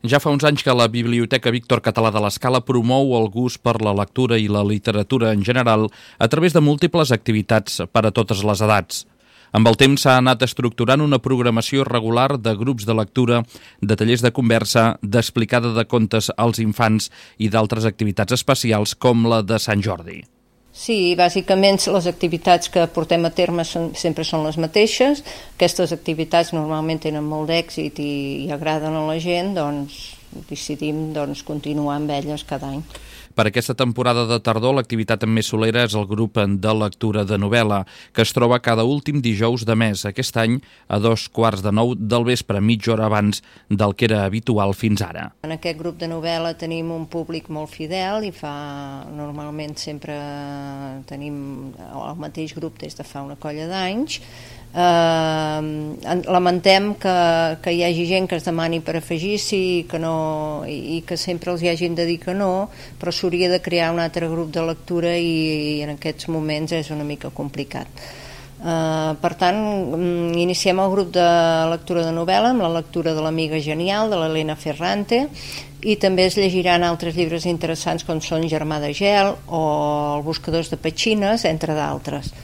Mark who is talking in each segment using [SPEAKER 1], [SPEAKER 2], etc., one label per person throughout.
[SPEAKER 1] Ja fa uns anys que la Biblioteca Víctor Català de l'Escala promou el gust per la lectura i la literatura en general a través de múltiples activitats per a totes les edats. Amb el temps s'ha anat estructurant una programació regular de grups de lectura, de tallers de conversa, d'explicada de contes als infants i d'altres activitats especials com la de Sant Jordi.
[SPEAKER 2] Sí, bàsicament les activitats que portem a terme sempre són les mateixes. Aquestes activitats normalment tenen molt d'èxit i agraden a la gent, doncs decidim continuar amb elles cada any.
[SPEAKER 1] Per aquesta temporada de tardor, l'activitat més solera és el grup de lectura de novel·la, que es troba cada últim dijous de mes, aquest any a 8:45 del vespre, mitja hora abans del que era habitual fins ara.
[SPEAKER 2] En aquest grup de novel·la tenim un públic molt fidel i normalment sempre tenim el mateix grup des de fa una colla d'anys. Lamentem que hi hagi gent que es demani per afegir-s'hi i que sempre els hi hagin de dir que no, però s'hauria de crear un altre grup de lectura i en aquests moments és una mica complicat. Per tant, iniciem el grup de lectura de novel·la amb la lectura de l'Amiga Genial, de l'Helena Ferrante, i també es llegiran altres llibres interessants com són Germà de gel o Els buscadors de petxines, entre d'altres.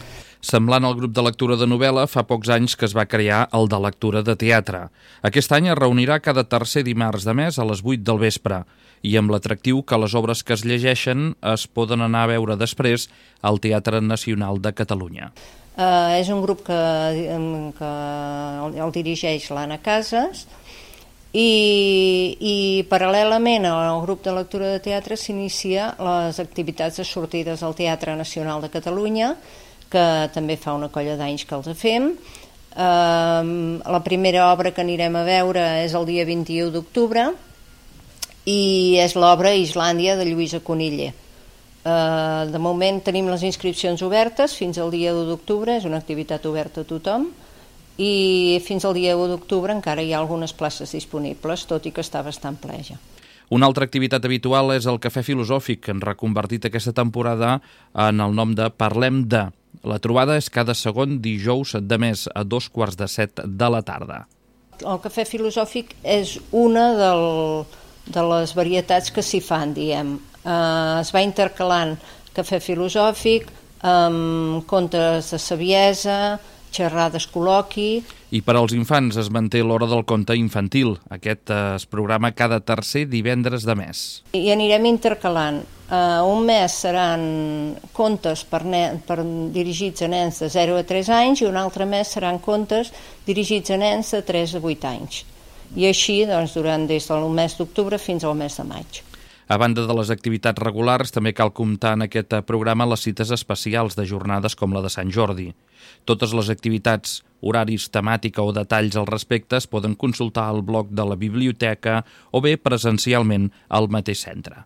[SPEAKER 1] Semblant al grup de lectura de novel·la, fa pocs anys que es va crear el de lectura de teatre. Aquest any es reunirà cada tercer dimarts de mes a les 8 del vespre i amb l'atractiu que les obres que es llegeixen es poden anar a veure després al Teatre Nacional de Catalunya.
[SPEAKER 2] És un grup que el dirigeix l'Anna Casas i paral·lelament al grup de lectura de teatre s'inicia les activitats de sortides al Teatre Nacional de Catalunya, que també fa una colla d'anys que els fem. La primera obra que anirem a veure és el dia 21 d'octubre i és l'obra Islàndia de Lluïsa Coniller. De moment tenim les inscripcions obertes fins al dia 1 d'octubre, és una activitat oberta a tothom, i fins al dia 1 d'octubre encara hi ha algunes places disponibles, tot i que està bastant ple ja.
[SPEAKER 1] Una altra activitat habitual és el Cafè Filosòfic, que han reconvertit aquesta temporada en el nom de Parlem de. La trobada és cada segon dijous de mes a 6:45 de la tarda.
[SPEAKER 2] El Cafè Filosòfic és una de les varietats que s'hi fan, diem. Es va intercalant Cafè Filosòfic amb contes de saviesa, xerrades col·loqui.
[SPEAKER 1] I per als infants es manté l'hora del conte infantil. Aquest es programa cada tercer divendres de mes.
[SPEAKER 2] I anirem intercalant. Un mes seran contes dirigits a nens de 0 a 3 anys i un altre mes seran contes dirigits a nens de 3 a 8 anys. I així durant des del mes d'octubre fins al mes de maig.
[SPEAKER 1] A banda de les activitats regulars, també cal comptar en aquest programa les cites especials de jornades com la de Sant Jordi. Totes les activitats, horaris, temàtica o detalls al respecte es poden consultar al blog de la biblioteca o bé presencialment al mateix centre.